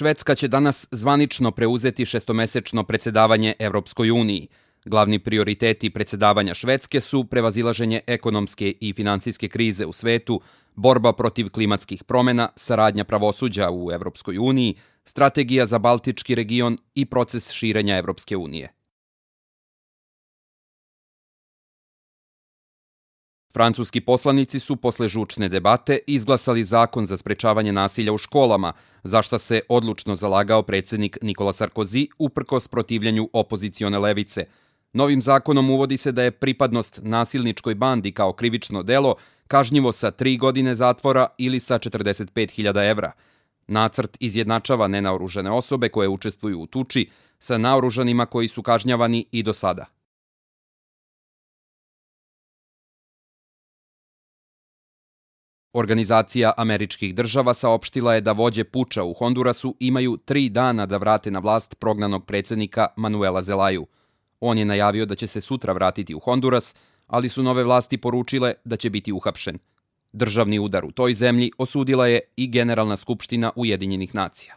Švedska će danas zvanično preuzeti šestomesečno predsedavanje Evropskoj uniji. Glavni prioriteti predsedavanja Švedske su prevazilaženje ekonomske i finansijske krize u svetu, borba protiv klimatskih promjena, saradnja pravosuđa u Evropskoj uniji, strategija za Baltički region i proces širenja Evropske unije. Francuski poslanici su posle žučne debate izglasali zakon za sprečavanje nasilja u školama, za šta se odlučno zalagao predsjednik Nicolas Sarkozy uprkos protivljenju opozicione levice. Novim zakonom uvodi se da je pripadnost nasilničkoj bandi kao krivično delo kažnjivo sa 3 godine zatvora ili sa 45.000 evra. Nacrt izjednačava nenaoružane osobe koje učestvuju u tuči sa naoružanima koji su kažnjavani i do sada. Organizacija američkih država saopštila je da vođe puča u Hondurasu imaju 3 dana da vrate na vlast prognanog predsjednika Manuela Zelaju. On je najavio da će se sutra vratiti u Honduras, ali su nove vlasti poručile da će biti uhapšen. Državni udar u toj zemlji osudila je i Generalna skupština Ujedinjenih nacija.